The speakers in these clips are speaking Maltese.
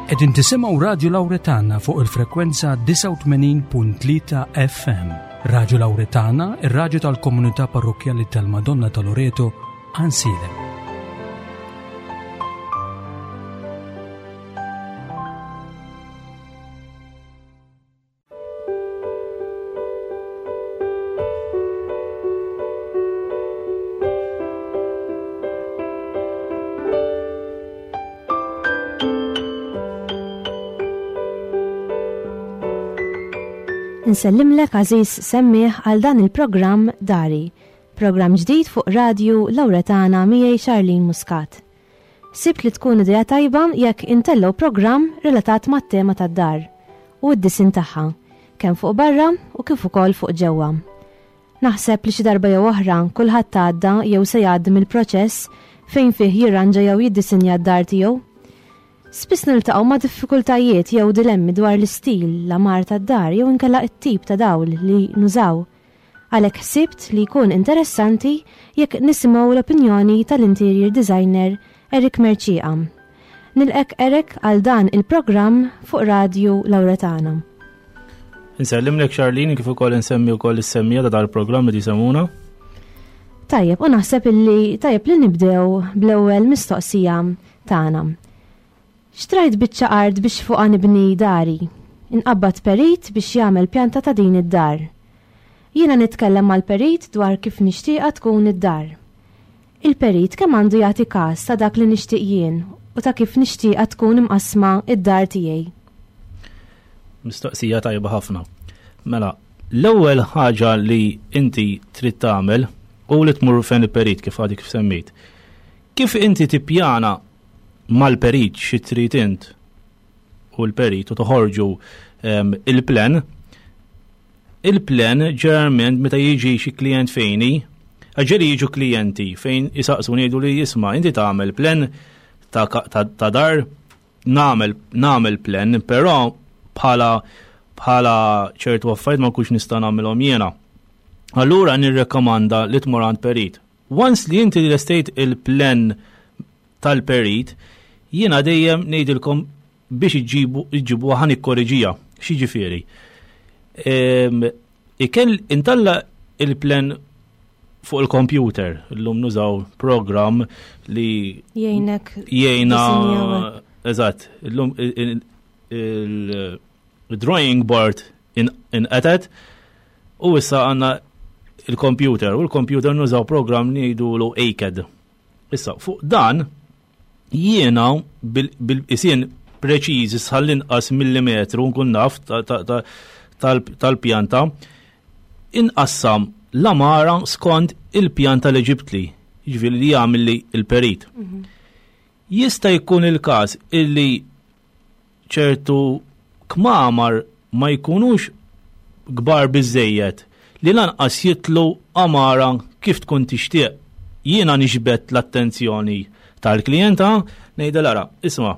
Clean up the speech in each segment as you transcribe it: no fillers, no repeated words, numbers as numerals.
Qegħdin tisimgħu Radju Lawretana fuq il-frekwenza 89.3 FM. Radju Lawretana, ir-radju tal-komunità parrokkjali tal-Madonna ta' Loreto, Ansilem. Nsellimlek għażiż semmiegħ għal dan il-programm Dari, programm ġdid fuq Radju Lawretana miegħi Charlene Muscat. Sibt li tkun idea tajba jekk intellgħu programm relatat mat-tema tad-dar u d-disinn tagħha, kemm fuq barra u kif ukoll fuq ġewwa. Naħseb li xi darba jew oħra kulħadd għadda jew se jgħaddi mill-proċess fejn fih jirranġa jew jiddisinja d-dar tiegħu. Spiss niltaqgħu ma' diffikultajiet jew dilemmi dwar l-istil, l-għamar tad-dar jew inkella t-tip ta' dawl li nużaw. Għalhekk ħsibt li jkun interessanti jekk nisimgħu l-opinjoni tal-interior designer Eric Mercieca. Nilqgħek Eric għal dan il-programm fuq Radju Lawretana. Insellimlek Charlene kif ukoll insemmi wkoll is-semmija ta' dal-programm li tisemuna. Tajjeb, u naħseb illi tajjeb li nibdew bl-ewwel mistoqsija tagħna. Xtrajt biċċa art biex fuqha nibni dari. Inqabbad perit biex jagħmel pjanta ta' din id-dar. Jiena nitkellem mal-perit dwar kif nixtieqha tkun id-dar. Il-perit kemm għandu jagħti każ ta' dak li nixtieq jien u ta' kif nixtieqha tkun imqassma d-dar tiegħi? Mistoqsija tajba ħafna. Mela, l-ewwel ħaġa li inti trid tagħmel u li tmur fejn il-perit kif għadek kif semmejt. Kif inti tippjana mal-perit xi trid int u l-perit u toħorġu ehm, il-plan, il-plan ġeneralment meta jiġi xi klient fejni, ġeli jiġu klijenti fejn jisaqsu ngħidu li jisma' inti tagħmel plan ta', ta, ta dar nagħmel nagħmel plan, però bħala bħala ċertu affarijiet ma nkunx nista' nagħmilhom jiena. Allura nirrekomanda li tmur għand perit. Once li inti lestejt il-plan tal-perit, jiena dejjem ngħidilkom biex iġibu iġibu ħa nikkoreġija. X'jiġifieri? Ehm, ikel intalla il-plan fuq il-computer, illum nużaw program li jgħinek jgħina eżatt, illum il-drawing board inqetet u issa għandna il-computer u l-computer nużaw program li jgħidulu ACAD. Issa, fuq dan, jiena bil-isien preċiżi sħall-inqas millimetru nkun naf tal-pjanta, inqassam l-amara skont il-pjanta li ġibtli, jiġifieri li jagħmel il-perit. Mhm. Jista' jkun il-każ illi ċertu kmamar ma jkunux kbar biżżejjed li lanqas jitlu għamara kif tkun tixtieq. Jiena niġbed l-attenzjoni tal-klijenta ngħidilha ara, isma'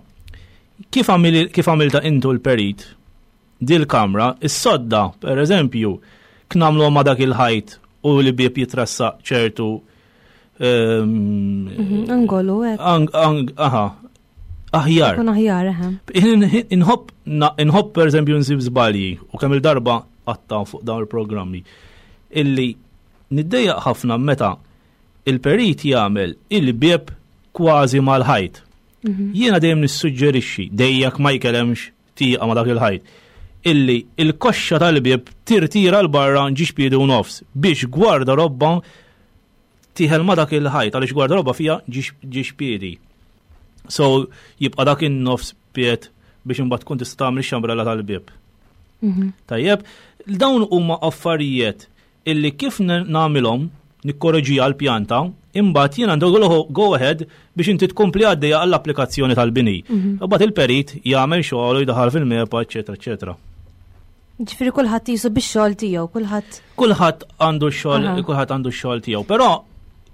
kif għamilta intu l-perit dil-kamra, is-sodda, per eżempju, knamlu ma dak il-ħajt u li bieb jitrassaq ċertu ehm, mhm, angolu, Aha, aħjar. Kun aħjar, eħe. Inħobb, inħobb per eżempju nsib żbalji u kemm il-darba għatta fuq dawn il-programmi illi niddejjaq ħafna meta il-perit jagħmel il-bieb kważi mal-ħajt. Mhm. Jiena dejjem nissuġġerixxi dejjak ma jkellemx tieqa ma dak il-ħajt illi il-koxxa tal-bieb tirtira l-barra ġiex piedi u nofs biex gwarda robba tieħel ma dak il-ħajt għaliex gwardarobba fiha ġiex piedi. So jibqa' dak in-nofs pied biex imbagħad tkun tista' tagħmel ix-xambrella tal-bieb. Mhm. Tajjeb, dawn huma affarijiet illi kif nagħmilhom nikkoreġija l-pjanta, imbagħad jien għandu go ahead biex inti tkompli għaddejja għall-applikazzjoni tal-bini. Mhm. Imbagħad il-perit jagħmel xogħol u jdaħal fil-mepa, eċetera, eċetera. Ġifieri kulħadd jisu bix-xogħol tiegħu, kulħadd. Kulħadd għandu x-xogħol, kulħadd għandu x-xogħol tiegħu. Però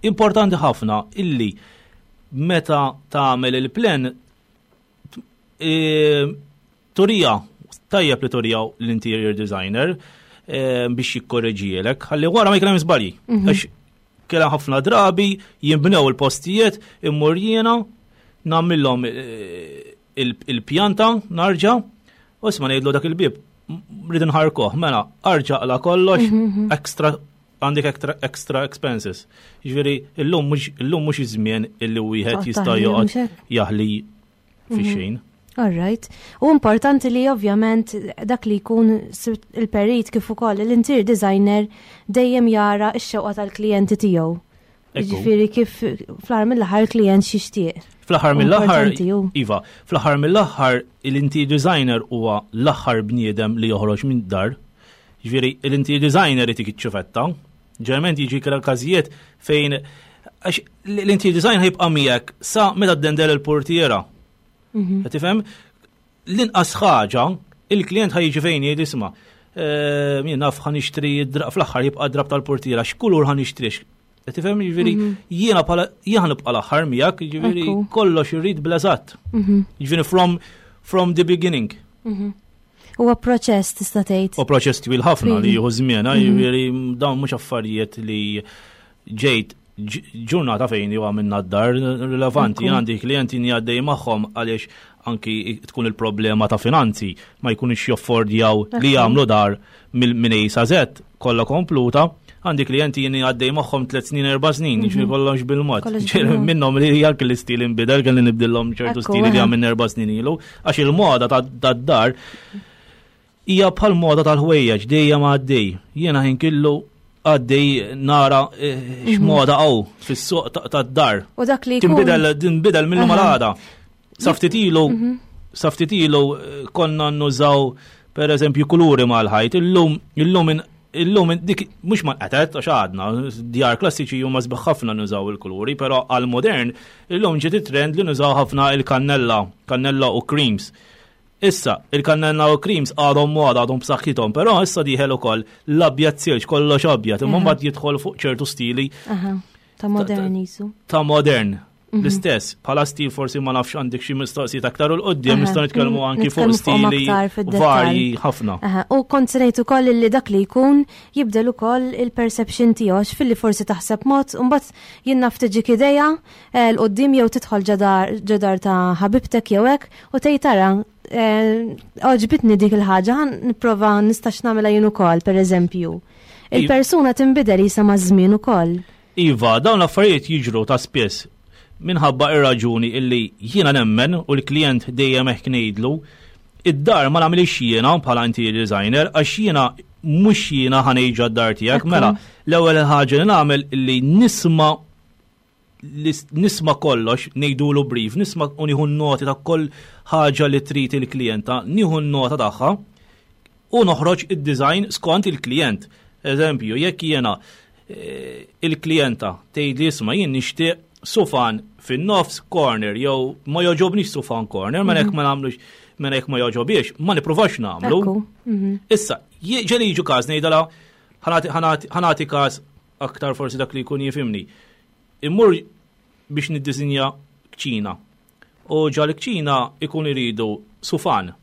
importanti ħafna illi meta tagħmel il-plen e, turija tajjeb li turija l-interior designer e, biex jikkoreġielek, ħalli wara ma jkun hemm żbalji. Mhm. Għax kien ħafna drabi jinbnew il-postijiet immur jiena nagħmilhom e, il-pjanta narġa' u isma' ngħidlu dak il-bieb rrid nħarkoh, mela arġa' qla kollox mhm, mhm. extra għandek extra, extra expenses. Jiġifieri illum mhux illum mhux iż-żmien illi wieħed jista' joqgħod jaħli fi mhm. xejn. All right. U importanti li ovvjament dak li jkun il-perit kif ukoll l-interior designer dejjem jara x-xewqa tal-klijenti tiegħu. Ġifieri kif fl-aħħar mill-aħħar il-klijent xixtieq. Fl-aħħar mill-aħħar, iva, fl-aħħar mill-aħħar l-interior designer huwa l-aħħar bniedem li joħroġ minn dar. Ġifieri l-interior designer itik iċ-ċufetta. Ġeneralment jiġi każijiet fejn għax l-interior design ħajbqa' miegħek sa meta ddendel il-portiera. Mhm. Tifhem? L-inqas ħaġa, il-klient ħa jiġi fejn jgħid isma' eh, jien naf ħa nixtri fl-aħħar jibqa' drab tal-portiera, x'kulur ħa nixtri Tifhem jiġifieri mhm. jiena bħala jiena nibqa' l-aħħar miegħek, jiġifieri kollox irrid bl-eżatt. Mhm. Jiġifieri from from the beginning. Mhm. Huwa proċess tista' tgħid. U proċess twil ħafna li jieħu żmien, eh, jiġifieri dawn mhux affarijiet li ġejt ġurnata fejn jew għamilna d-dar rilevanti, għandi klijenti li għaddej magħhom għaliex anki tkun il-problema ta' finanzi ma jkunux joffordjaw li jagħmlu dar minn A sa Z kollha kompluta. Għandi klijenti jien għaddej magħhom tliet snin erba' snin, mhm. jiġri kollox bil-mod. Minnhom li anki l-istil inbidel kelli nibdilhom ċertu stili li għamilna erba' snin ilu, għax il-moda tad-dar Hija bħal moda tal-ħwejjeġ dejjem għaddej. Jiena ħin killu għaddej nara eh, mhm. x'moda hawn fis-suq tad-dar. U dak li tinbidel tinbidel minnu mal-għada. Saftit ilu mhm. saftit ilu eh, konna nużaw per eżempju kuluri mal-ħajt, illum illum illum dik mhux ma nqatet għax għadna, djar klassiċi huma sbieħ ħafna nużaw il-kuluri, però għal modern illum ġiet it-trend li nużaw ħafna il-kannella, kannella u creams. Issa, il-kannella u creams għadhom moda, għadhom b'saħħithom, però issa dieħel ukoll l-abjad silġ, kollox abjad, imma mbagħad jidħol fuq ċertu stili. Ta' modern jisu. Ta' modern. Mhm. L-istess, bħala stil forsi ma nafx għandek xi mistoqsijiet aktar u l-qoddim nistgħu nitkellmu mhm. anki fuq stili varji ħafna. U kont se ngħid ukoll li dak li jkun jibdel ukoll il-perception tiegħu filli forsi taħseb mod u mbagħad jien naf tiġik idea eh, l-qoddim jew tidħol ġodar ta' ħabibtek jew hekk U tgħid tara, eh, għoġbitni dik il-ħaġa, nipprova nistax nagħmilha jien ukoll, pereżempju. Il-persuna tinbidel jisa maż-żmien ukoll. Iva, dawn l-affarijiet jiġru ta' spiss minħabba ir-raġuni illi jiena nemmen u l-klient dejjem hekk ngħidlu id-dar ma nagħmilx jiena bħala interior designer għax jiena mhux jiena ħanejġa d-dar tiegħek mela l-ewwel ħaġa li nagħmel illi nisma' nisma' kollox, ngħidulu brief, nisma' u nieħu noti ta' kull ħaġa li trid il-klijenta, nieħu nota tagħha u noħroġ id-design skont il-klijent. Eżempju, jekk jiena eh, il-klijenta tgħid li isma' jien nixtieq sufan fin-nofs corner jew ma joġobnix sufan corner, ma jekk ma nagħmlux mela jekk ma joġobiex, ma nippruvax nagħmlu. Mhm. Issa, ġeli jiġu każ ngħidala ħanati każ aktar forsi dak li jkun jifimni. Immur biex niddisinja kċina. U ġal kċina ikun iridu sufan.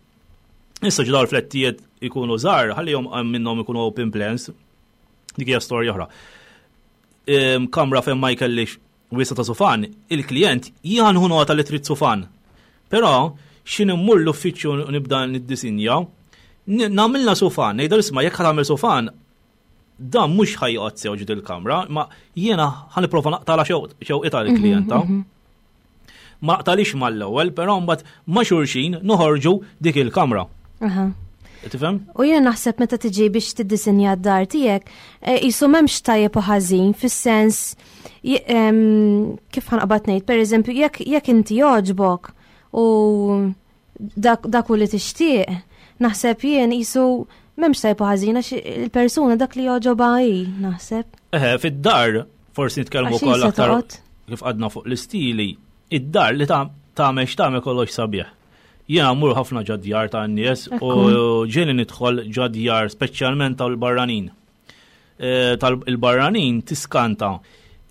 Issa ġdar flettijiet ikunu żgħar, ħallihom minnhom ikunu open plans. Dik hija storja oħra. Kamra fejn ma jkellix wisa ta' sufan, il-klient jieħu nota li trid sufan. Però x'in immur l-uffiċċju nibda niddisinja, nagħmilna sufan, ngħidha isma' jekk ħa sufan, dan mhux ħa joqgħod sew ġid il-kamra, ma jiena ħa nipprova naqtala xewqita l-klijenta. Mhm, mhm. Ma naqtalix mal-ewwel, però mbagħad ma' xulxin noħorġu dik il-kamra. Tifhem? U jiena naħseb meta tiġi biex tiddisinja d-dar tiegħek, eh, jisu m'hemmx tajjeb u ħażin fis-sens kif ħanqbad ngħid, pereżempju, jekk inti jogħġbok u dak u li tixtieq, naħseb jien jisu m'hemmx tajb ħażin għax il-persuna dak li jogħġobha hi, naħseb. Eħe, fid-dar forsi nitkellmu wkoll aktar kif għadna fuq l-istili, id-dar li tagħmel x'tagħmel kollox sabiħ. Jiena mmur ħafna ġadjar ta' nies u ġieli nidħol ġadjar speċjalment tal-barranin. Eh, tal-barranin tiskanta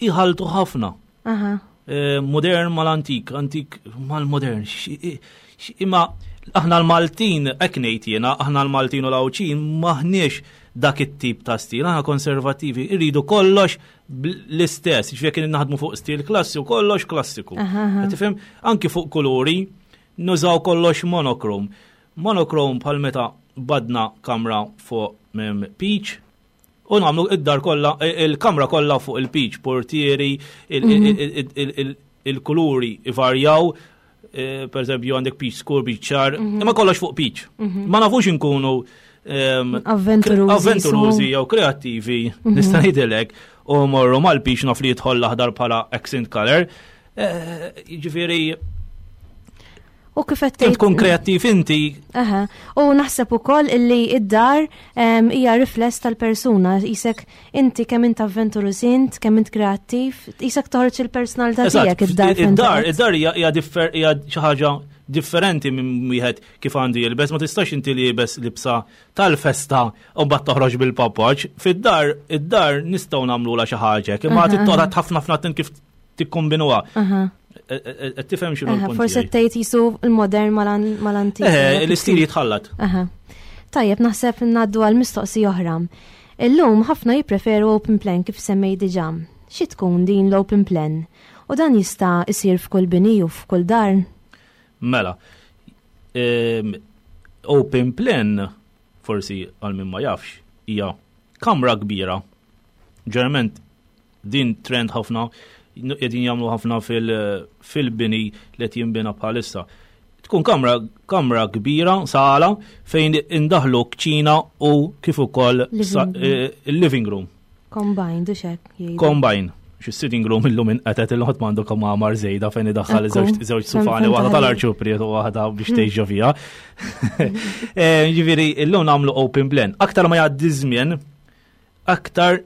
iħaltu ħafna. Eh, modern mal-antik, antik mal-modern. Imma aħna l-Maltin, hekk ngħid jiena, aħna l-Maltin u l-Għawdxin maħniex dak it-tip ta' stil, aħna konservativi, irridu kollox l-istess, ġifieri kien naħdmu fuq stil klassiku, kollox klassiku. Tifhem? Anki fuq kuluri, Nużaw kollox monochrome. Monochrome bħal meta badna kamra fuq peach, u nagħmlu id-dar kollha, il-kamra kollha fuq il-peach, portieri, il-kuluri ivarjaw, eh, per eżempju għandek peach skur, peach ċar, mhm. imma kollox fuq peach. Mhm. Ma nafux inkunu ehm, avventurużi jew kreattivi, mhm. nista' ngħidilek, u morru mal-peach naf li jidħol l-aħdar bħala accent color. Eh, jiġifieri U kif qed tgħid. Tkun kreattiv inti. Aha. U naħseb ukoll illi id-dar hija rifless tal-persuna, isek inti kemm int avventuruż int, kemm int kreattiv, isek toħroġ il-personalità tiegħek id-dar. Id-dar, id-dar hija hija xi ħaġa differenti minn wieħed kif għandu jilbes, ma tistax inti libes libsa tal-festa u mbagħad toħroġ bil-papoċ. Fid-dar, id-dar nistgħu nagħmlula xi ħaġa, imma tittoqgħod ħafna ħafna kif tikkombinuha. E, e, e, tifhem x'inhu l-punt. Forsi tgħid jisu l-modern mal-antik. Eh, l-istil jitħallat. Tajjeb, naħseb ngħaddu għal mistoqsija oħra. Illum ħafna jippreferu open plan kif semmej diġà. Xi tkun din l-open plan? U dan jista' isir f'kull bini u f'kull dar? Mela, ehm, open plan forsi għal min ma jafx hija kamra kbira. Ġeneralment Din trend ħafna, qegħdin jagħmlu ħafna fil-bini li qed jinbina bħalissa. Tkun kamra, kamra kbira, sala, fejn indaħlu kċina u kif ukoll eh, il-living room. Combined, u xek. Combine. Xi sitting room illum inqetet il-ħodd m'għandu kamar żejda fejn idaħħal żewġ sufani waħda tal-arċupriet u waħda biex tgħix ġo fiha. Eh, ġifieri illum nagħmlu open plan. Aktar ma jgħaddi żmien, aktar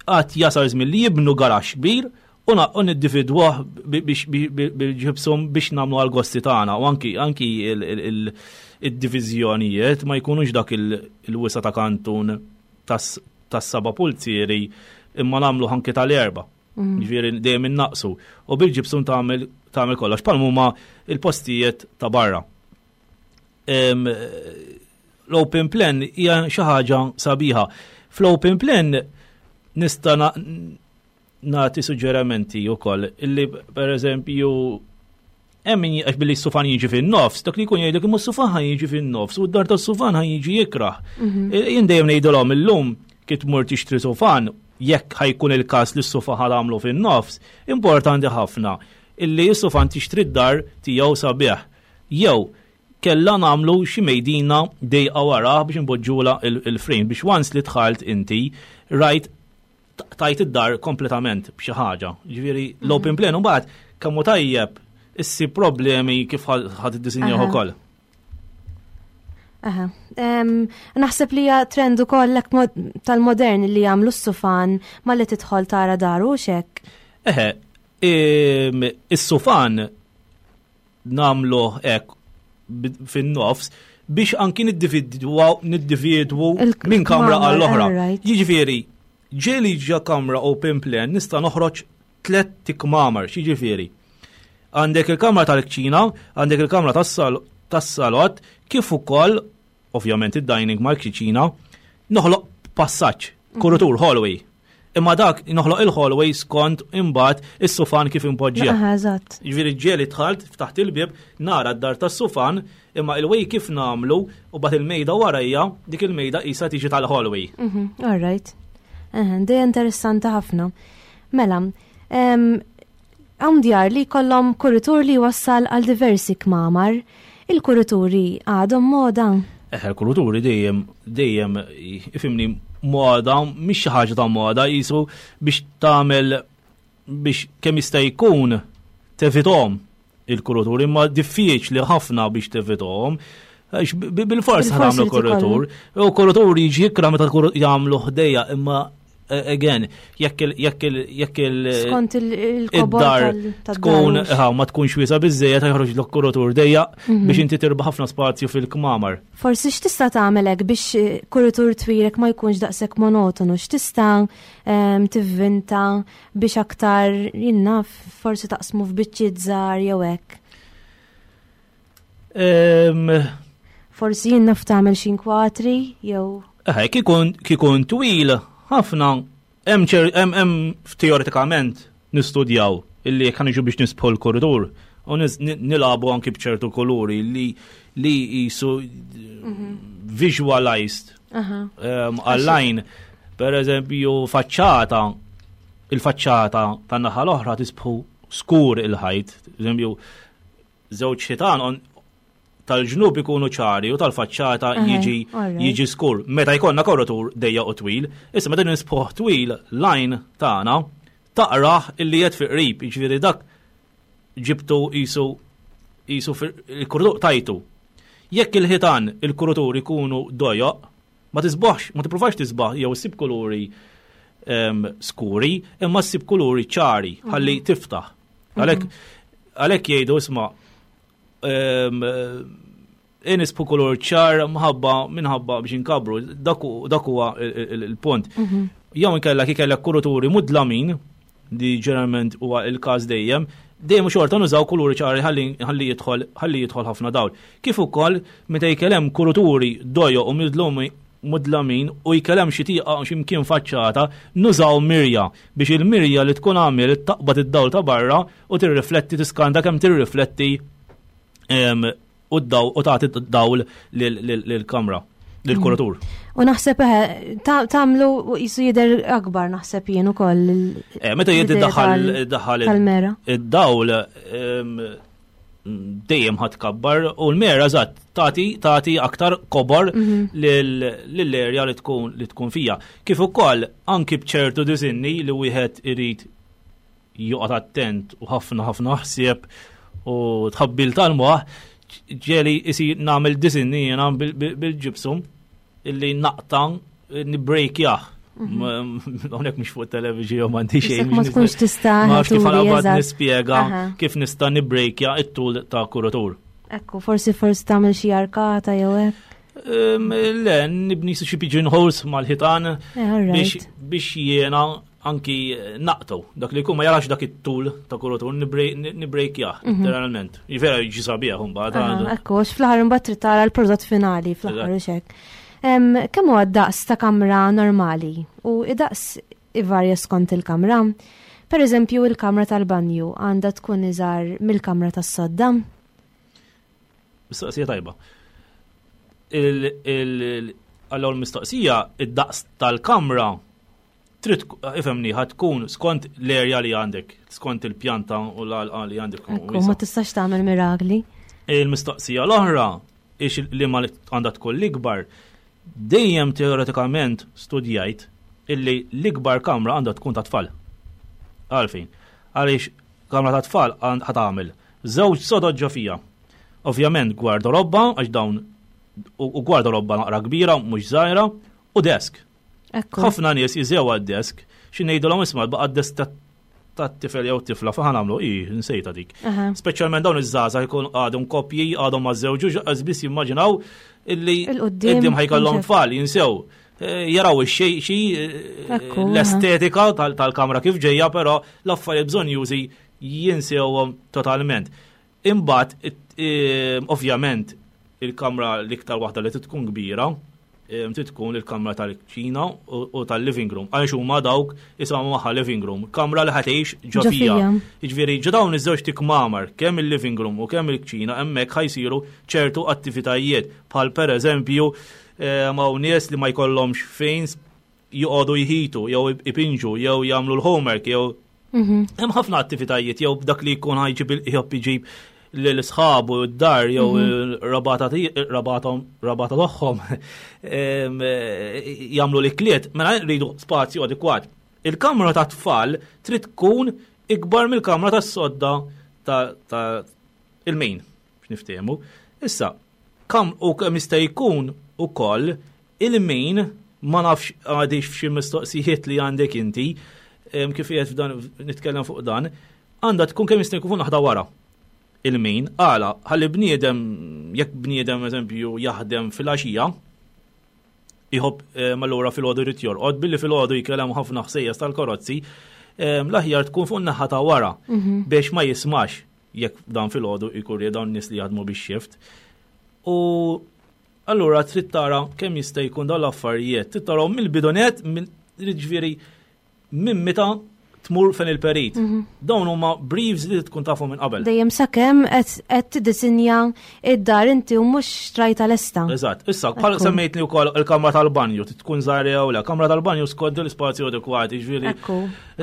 għat jasal żmien li jibnu garax kbir u u niddividwah bil-ġibsum biex nagħmlu għal-gosti tagħna u anki anki id-diviżjonijiet ma jkunux dak il-wisa ta' kantun tas-saba pulzieri imma nagħmlu anki tal-erba. Mm. Ġifieri dejjem innaqsu u bil-ġibsum tagħmel tagħmel kollox bħal huma il-postijiet ta' barra. L-open plan hija xi ħaġa sabiħa. Fl-open plan nista' nagħti suġġerimenti wkoll illi pereżempju hemm min għax billi s-sufan jiġi fin-nofs, dak li jkun jgħidlek imma s-sufan ħa jiġi fin-nofs u d-dar tas-sufan ħa jiġi jikrah. Mhm. Jien dejjem ngħidilhom illum kif tmur tixtri sufan, jekk ħajkun il-każ li s-sufan ħa tagħmlu fin-nofs, importanti ħafna illi s-sufan tixtri d-dar tiegħu sabiħ. Jew kellha nagħmlu xi mejdina dejqa warah biex npoġġula il-frame biex once li dħalt inti rajt tajt id-dar kompletament b'xi ħaġa. Ġifieri l-open mhm. plan u mbagħad kemm hu tajjeb issi problemi kif ħad iddisinjaw ukoll. Aha. Naħseb li hija trend ukoll tal-modern li jagħmlu s-sufan malli tidħol tara daru xek. Eħe, is-sufan nagħmluh hekk fin-nofs biex anki niddividwaw niddividwu minn kamra għall-oħra. Jiġifieri, ġieli ġa kamra open plan nista' noħroġ tlet tikmamar, jiġifieri. Għandek il-kamra tal-kċina, għandek il-kamra tas-salott, kif ukoll ovvjament id-dining mal-kċina, noħloq passaġġ, kurutur hallway. Imma dak noħloq il-hallway skont imbagħad is-sufan kif impoġġija. Eżatt. Jiġifieri ġieli dħalt ftaħt il-bieb nara d-dar tas-sufan imma il-way kif nagħmlu u bagħad il-mejda warajja dik il-mejda qisha tiġi tal-hallway. Mhm, all right. Dej interessanti ħafna. Mela, hawn djar li jkollhom kuritur li jwassal għal diversi kmamar. Il-kurituri għadhom moda? Eħe, il-kurituri dejjem dejjem ifimni moda, mhix xi ħaġa ta' moda, jisu biex tagħmel biex kemm jista' jkun tevithom il-kurituri, imma diffiċli ħafna biex tevithom. Bil-fors ħamlu kuritur. U kuritur jiġi jikra meta jagħmlu ħdejja, imma eh, again, jekk il jekk il jekk il Skont il-dar tkun ma tkunx wiesa biżejjed ħajħroġ l kuritur dejja mhm. biex inti tirba ħafna spazju fil-kmamar. Forsi x'tista' tagħmel hekk biex eh, kuritur twilek ma jkunx daqshekk monotonu, x'tista' ehm, tivvinta biex aktar jinnaf forsi taqsmu f'biċċiet żgħar jew hekk. Forsi jien naf tagħmel xi inkwatri jew. Eħe, kikun twil ħafna hemm hemm teoretikament nistudjaw illi jekk ħaniġu biex nisbħu l-kuritur. U nilagħbu anki b'ċertu kuluri li li jisu visualized għall-għajn. Per eżempju, faċċata, il-faċċata tan-naħa l-oħra tisbħu skur il-ħajt. Eżempju, żewġ ħitan tal-ġnub ikunu ċari u tal-faċċata jiġi jiġi skur. Meta jkollna korritur dejja u twil, issa meta nisbħuh twil lajn tagħna taqrah illi qed fi qrib, jiġifieri dak ġibtu qisu qisu il-kurduq tajtu. Jekk il-ħitan il-kurutur ikunu dojoq, ma tisbaħx, ma tippruvax tisbaħ jew issib kuluri skuri, imma ssib kuluri ċari ħalli tiftaħ. Għalhekk għalhekk jgħidu isma' inisbu kulur ċar mħabba minħabba biex inkabru, dak huwa il-punt. Jew inkella kif kellek kuruturi mudlamin, li ġeneralment huwa il-każ dejjem, dejjem xorta nużaw kuluri ċari ħalli jidħol ħalli jidħol ħafna dawl. Kif ukoll meta jkellem kuruturi dojo u mudlumi mudlamin u jkellem xi tieqa xi mkien faċċata, nużaw mirja biex il-mirja li tkun għamil taqbad id-dawl ta' barra u tirrifletti tiskanta kemm tirrifletti u d-dawl u tagħti dawl lill-kamra lill-kuratur. U naħseb eh, tagħmlu jisu jidher akbar naħseb jien ukoll. Eh, meta jidher daħal daħal id-dawl dejjem ħadd kabbar u l-mera eżatt tagħti tagħti aktar kobor mhm. lill-erja li tkun li tkun fija. Kif ukoll anki b'ċertu disinni li wieħed irid joqgħod attent u ħafna ħafna ħsieb u tħabbil tal-moħ ġeli isir nagħmel disinni jiena bil-ġibsum illi naqta nibbrejkjah. Mhm. Hawnhekk mhux fuq television m'għandi xejn. Ma tkunx tista' Ma kif għalabad nispjega kif nista' nibbrejkja it-tul ta' kuratur. Ekku, forsi forsi tagħmel xi arkata jew hekk. Le, nibni xi pigeonholes mal-ħitan eh, biex jiena anki naqtu, dak li jkun ma jarax dak it-tul ta' kurutur nibrejkjah, mhm. literalment. Vera jiġi sabiħ imbagħad. Ekku, għax fl-aħħar imbagħad trid tara l-prodott finali fl-aħħar u xek. Kemm huwa daqs ta' kamra normali u id-daqs ivarja skont il-kamra? Per eżempju, il-kamra tal-banju għandha tkun iżgħar mill-kamra tas-sodda? Mistoqsija tajba. Għall-ewwel mistoqsija, id-daqs tal-kamra trid ifhemni ħad tkun skont l-erja li għandek, skont il-pjanta u l-għalqa li għandek. Ekku, ma tistax tagħmel mirakli. Il-mistoqsija l-oħra, ix li ma għandha tkun l-ikbar, dejjem teoretikament studjajt illi l-ikbar kamra għandha tkun ta' tfal. Għalfejn, għaliex kamra ta' tfal ħat tagħmel żewġ sodod ġo fija. Ovvjament gwardarobba għax dawn u gwardarobba naqra kbira mhux żgħira u desk. Ħafna nies jiżew għad-desk, xi ngħidulhom isma' baqa' d-desk tat-tifel jew tifla fa' nagħmlu i nsejta dik. Speċjalment dawn iż-żgħażagħ ikun għadhom koppji, għadhom ma żewġux, biss jimmaġinaw illi qudiem ħajkollhom tfal jinsew. Eh, jaraw ix-xej xi eh, l-estetika tal-kamra kif ġejja, però l-affarijiet bżonn jużi jinsewhom totalment. Imbagħad, ovvjament, il-kamra l-iktar waħda li tkun kbira, trid tkun il-kamra tal-kċina u tal-living room. Għaliex huma dawk isimgħu magħha living room, kamra li ħatejx ġo fija. Jiġifieri ġo dawn iż-żewġ tikmamar, kemm il-living room u kemm il-kċina hemmhekk ħajsiru ċertu attivitajiet bħal pereżempju hawn nies li ma jkollhomx fejn joqogħdu jħitu jew ipinġu jew jagħmlu l-homework jew mhm. hemm ħafna attivitajiet jew dak li jkun ħajġib il-ħjobb iġib lil sħabu d-dar jew mhm. rabata tagħhom jagħmlu l-ikliet, mela rridu spazju adekwat. Il-kamra ta' tfal trid tkun ikbar mill-kamra tas-sodda ta' il-min, biex Issa, kam u kemm jista' jkun ukoll Il-min, ma nafx għadix f'xi mistoqsijiet li għandek inti, kif qiegħed f'dan nitkellem fuq dan, għandha tkun kemm jista' jkun naħda wara. Il-min, għala, ħalli bniedem, jekk bniedem eżempju jaħdem fil-għaxija, jħobb allura fil-għodu jrid jorqod, billi fil-għodu jkellem ħafna ħsejjes tal-karozzi, l-aħjar tkun fuq naħa ta' wara mhm. biex ma jismax jekk dan fil-għodu jkun dawn nies li jaħdmu bix-shift. U Allura trid tara kemm jista' jkun dawn l-affarijiet, trid tarahom mill-bidu net, ġifieri minn meta Tmur fejn il-perit. Dawn huma briefs li tkun tafhom minn qabel. Dejjem sakemm qed tiddisinja id-dar inti u mhux xtrajta lesta. Eżatt. Issa, bħal semmejtni wkoll il-kamra tal-banju, tkun żgħira jew le. Kamra tal-banju skont l-ispazju adekwat, jiġifieri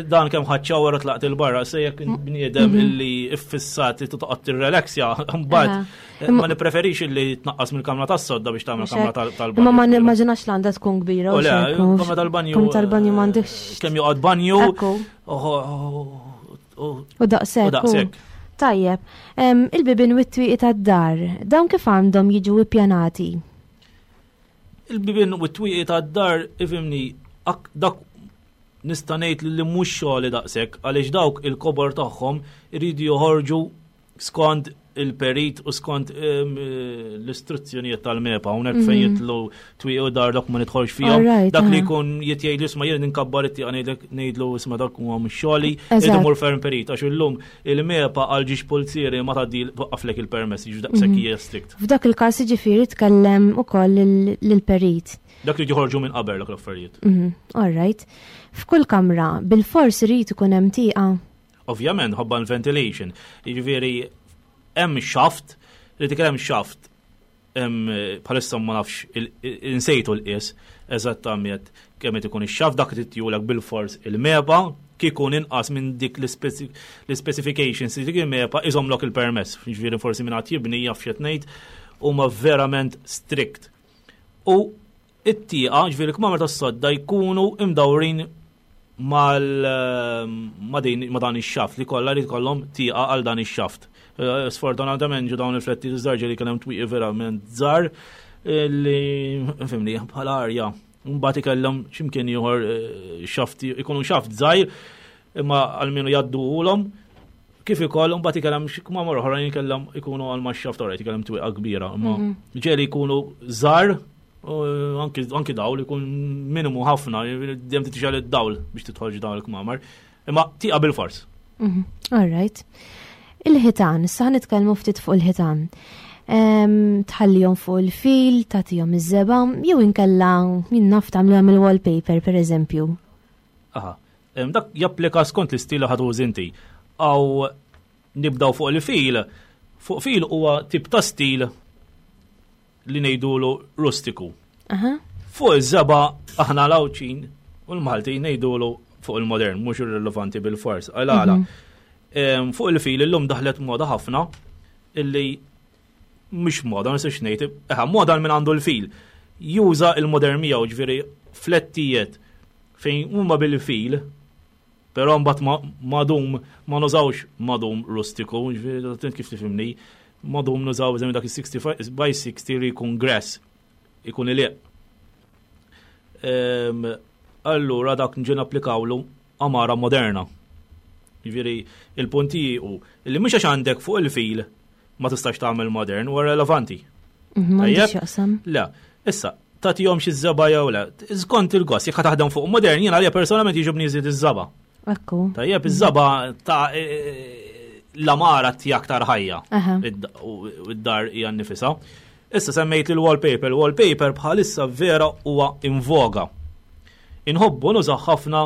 dan kemm ħadd shower u tlaqt il-barra, se jekk bniedem illi iffissat li toqgħod tirrelaxja, mbagħad ma nippreferix illi tnaqqas mill-kamra tas-sodda biex tagħmel kamra tal-banju. Imma ma nimmaġinax l għandha tkun kbira. U le, kamra tal-banju. Kamra tal-banju m'għandekx. Kemm joqgħod banju. U daqshekk. U daqshekk. Tajjeb, il-bibien u t-twieqi tad-dar, dawn kif għandhom jiġu ippjanati? Il-bibien u t-twieqi tad-dar, ifhimni, dak nista' ngħid li mhux xogħli daqshekk għaliex dawk il-kobor tagħhom iridu joħorġu skont il-perit u skont l-istruzzjonijiet tal-MEPA, hawnhekk fejn jitlu twieqi u dar dak ma nidħolx fihom. Dak li jkun jitjgħid isma' jien inkabbar it-tieqa ngħidlu isma' dak huwa mhux xogħli, irid imur ferm perit għax illum il-MEPA għal ġiex pulzieri ma tgħaddi twaqqaflek il-permess, jiġu daqshekk hija strict. F'dak il-każ jiġifieri tkellem ukoll lill-perit. Dak li joħorġu minn qabel dak l-affarijiet. All right. F'kull kamra bil-fors irid ikun hemm tieqa. Ovvjament, ħabba l-ventilation. Jiġifieri hemm shaft, li dik hemm shaft bħalissa ma nafx insejtu l-qies eżattament kemm qed ikun ix-shaft dak li titjulek bil-fors il-MEPA kikun inqas minn dik l-specifications li dik il-MEPA iżomlok il-permess. Jiġifieri forsi minn qatt jibni jaf x'qed ngħid huma verament strict. U it-tieqa, ġifieri l-kmamar tas-sodda jkunu imdawrin mal ma din ma dan ix-xaft li kollha li jkollhom tieqa għal dan ix-xaft. Eh, sfortunatament ġu dawn il-fletti żgħar ġieli kien hemm twieqi verament żgħar eh, li fimni bħala arja. Mbagħad ikellhom x'imkien ieħor eh, xaft ikunu xaft żgħir imma għalmenu jgħadduhulhom kif ikoll mbagħad ikellhom xi kmamar oħrajn ikellhom ikunu għal ma' xaft oħra ikellhom twieqa kbira, imma mhm. ġieli jkunu żgħar anki dawl ikun minimu ħafna, dejjem titixgħal id-dawl biex tidħol dawn il-kmamar. Imma tieqa bil-fors. All right. Il-ħitan, issa nitkellmu ftit fuq il-ħitan. Tħallihom fuq il-fil, tagħtihom iż-żebgħa, jew inkella jien naf tagħmluhom il-wallpaper pereżempju. Aha. Dak japplika skont l-istil li ħadu inti. Aw nibdaw fuq il-fil, fuq fil huwa tip ta' stil li ngħidulu rustiku. Fuq iż-żebgħa aħna l-Għawdxin u l-Maltin ngħidulu fuq il-modern, mhux irrilevanti bil-fors. Għala. Fuq il-fil illum daħlet moda ħafna illi mhux moda, ma nistax ngħid, eħa moda minn għandu l-fil. Juża il-modern miegħu, ġifieri flettijiet fejn huma bil-fil, però mbagħad madum ma nużawx madum rustiku, ġifieri kif tifhimni, madum nużaw eżempju dak is-60 by 60 li jkun grass, ikun iliq. Allura dak nġi napplikawlu għamara moderna. Ġifieri il-punti hu li mhux għax għandek fuq il-fil ma tistax tagħmel modern u relevanti. Mhm, Le, issa, tagħtihom xi żebgħa jew le. Skont il-gost, jekk taħdem fuq modern, jiena għalija personalment jiġobni jżid iż-żebgħa. Ekku. Tajjeb, iż-żebgħa ta' e, e, l-għamara ti aktar ħajja. U id-dar hija nnifisha. Issa semmejt il-wallpaper. Il-wallpaper bħalissa vera huwa in voga. Inħobbu nużaw ħafna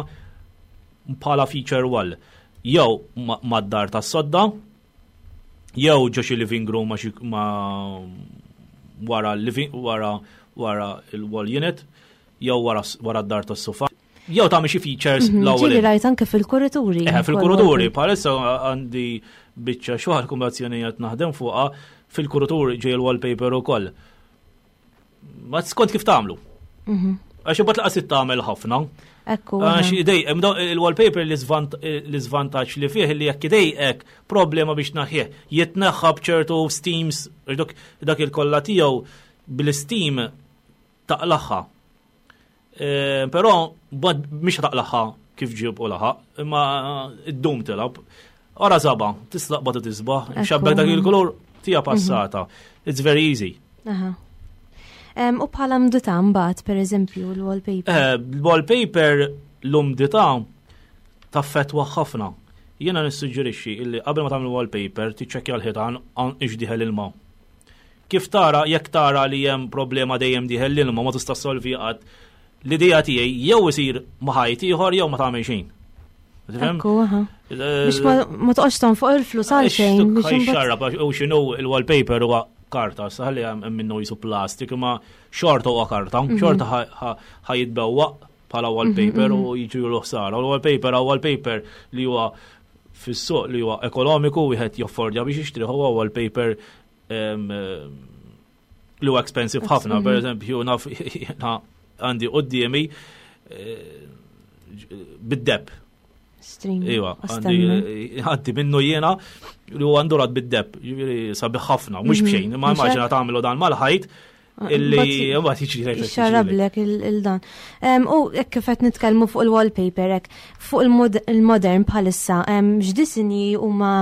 bħala feature wall. Jew mad-dar tas-sodda, jew ġo xi living room ma xi ma wara living wara wara il-wall unit, jew wara wara d-dar tas-sofa. Jew tagħmel xi features l-ewwel. Ġieli rajt anke fil-kurituri. Eh, fil-kurituri, bħalissa għandi biċċa xogħol kumbazzjonijiet naħdem fuqha fil-kurituri ġej il-wallpaper ukoll. Ma skont kif tagħmlu. Għax imbagħad laqas tagħmel ħafna. Ekku. Għax idej, il-wallpaper l-iżvantaġġ li fih li jekk idejqek problema biex naħħih. Jitneħħa b'ċertu steams, dak il-kolla tiegħu bil-steam taqlaħħa. E, però mhix taqlaħħa kif ġib u laħaq, imma id-dum tilab. Ora żebgħa, tislaqba tisbaħ, xabbek dak il-kulur tija passata. It's very easy. Aha. U bħala umdità mbagħad, per eżempju, l-wallpaper. Eh, l-wallpaper l-umdità taffetwa ħafna. Jiena nissuġġerixxi illi qabel ma tagħmel wallpaper tiċċekkja l-ħitan ix dieħel ilma. Kif tara, jekk tara li hemm problema dejjem dieħel l-ilma ma tista' solvi qatt, l-idea tiegħi jew isir ma' ħajt ieħor jew ma tagħmel xejn. Ekku, aha. Biex ma toqgħodx tonfoq il-flus għalxejn. Biex xarrab u x'inhu il-wallpaper huwa karta, saħli hemm minnu jisu plastik, imma xorta huwa karta, mhm. xorta ħa jitbewwaq bħala wallpaper mhm, u mhm. jiġu l-ħsara. U l-wallpaper huwa wallpaper li huwa fis-suq li huwa ekonomiku wieħed joffordja biex jixtri huwa wallpaper li huwa expensive ħafna, per eżempju, naf għandi qoddimi eh, bid-deb. Iwa, għandi minnu jiena li huwa ndurat bid-deb, ġifieri sabiħ ħafna, mhux mhm. b'xejn, ma immaġina tagħmlu dan mal-ħajt ah, illi mbagħad jiġri Xarablek il-dan. U hekk kif qed nitkellmu fuq il-wallpaper hekk, fuq il-modern bħalissa, x'disinji huma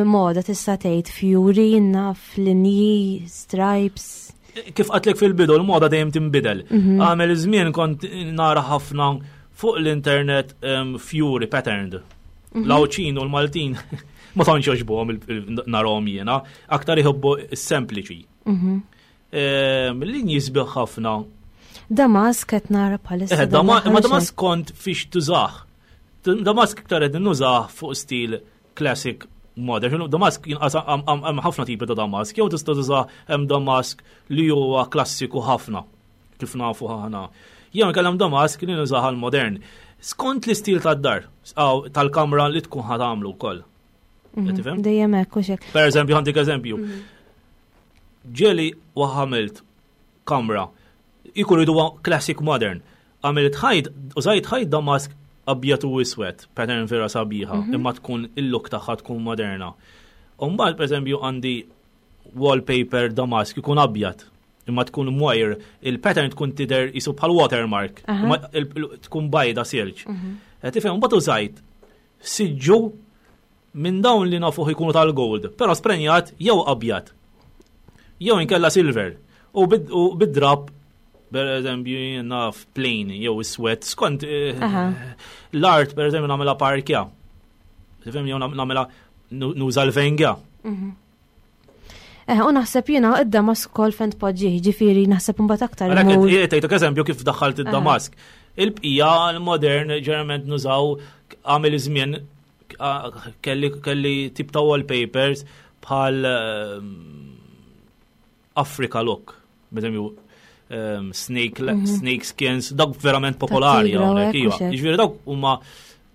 moda tista' tgħid fjuri, naf, linji, stripes. Kif qatlek fil-bidu l-moda dejjem tinbidel. Mhm. Għamel żmien kont nara ħafna fuq l-internet fjuri patterned. Mhm. L-Għawdxin u l-Maltin ma tantx jogħġbuhom narahom jiena, aktar iħobbu s-sempliċi. Mhm. Linji sbieħ ħafna. Damask qed nara bħalissa. Eh, ma damask kont fiex tużah. Damask iktar qed nużah fuq stil classic modern. Damask jinqas hemm ħafna tipi ta' damask, jew tista' tuża hemm damask li huwa klassiku ħafna kif nafu ħana. Jew inkella hemm damask li nużah għal modern. Skont l-istil tad-dar, tal-kamra li tkun ħa tagħmlu wkoll. Mhm, dejjem hekk u xek. Per eżempju, għandik eżempju. Mhm. Ġeli waħamilt kamra ikun ridu classic modern. Għamilt ħajt, użajt ħajt damask abjad u iswed, pattern vera sabiħa, mhm. imma tkun il-look tagħha tkun moderna. Umbagħad pereżempju għandi wallpaper damask ikun abjad, imma tkun mwajr, il-pattern tkun tidher jisu bħal watermark, imma tkun bajda silġ. Mhm. Eh, tifhem, mbagħad użajt siġġu minn dawn li nafuh ikunu tal-gold, però sprenjat jew abjad. Jew inkella silver. U bid-drab, per eżempju, naf plain jew iswed, skont eh, l-art, per eżempju, nagħmilha parkja. Tifhem jew nagħmilha nuża l-venga. Mhm. Eh, u naħseb jiena id-damask ukoll fejn tpoġġih, ġifieri naħseb imbagħad aktar. Għalhekk eżempju kif daħħalt id-damask. Il-bqija l-modern ġeneralment nużaw għamil iż-żmien kelli kelli tip ta' wallpapers bħal ehm, Africa look, b'eżempju ehm, snake, mm -hmm. snake skins, dawk verament popolari hawnhekk, iva. Jiġifieri dawk huma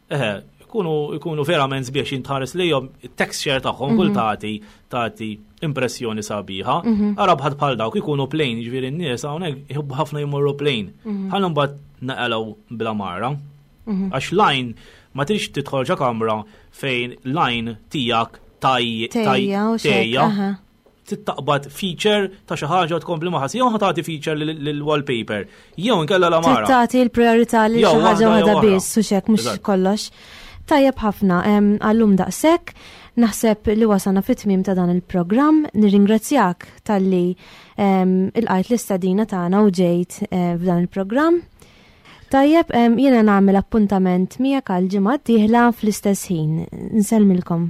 eh, ikunu ikunu verament sbiex jintħares lejhom it-texture tagħhom kull mhm. tagħti tagħti impressjoni sabiħa. Mhm. Ara bħad bħal dawk ikunu plain, jiġifieri n-nies hawnhekk jħobbu ħafna jmorru plain. Mhm. Ħallu mbagħad naqalgħu bla mara. Għax lajn ma tridx tidħol ġa kamra fejn lajn tiegħek tajja taqbad feature ta' xi ħaġa tkompli ma ħassi jew tagħti feature lill-wallpaper jew inkella la mara. Tagħti l-priorità lil xi ħaġa waħda biss u xek mhux kollox. Tajjeb ħafna, għallum daqshekk, naħseb li wasalna fit-tmiem ta' dan il-programm, nirringrazzjak talli ilqajt l-istadina tagħna u ġejt eh, f'dan il-programm. Tajjeb, jiena nagħmel appuntament miegħek għal ġimgħa d-dieħla fl-istess ħin. Nsellmilkom.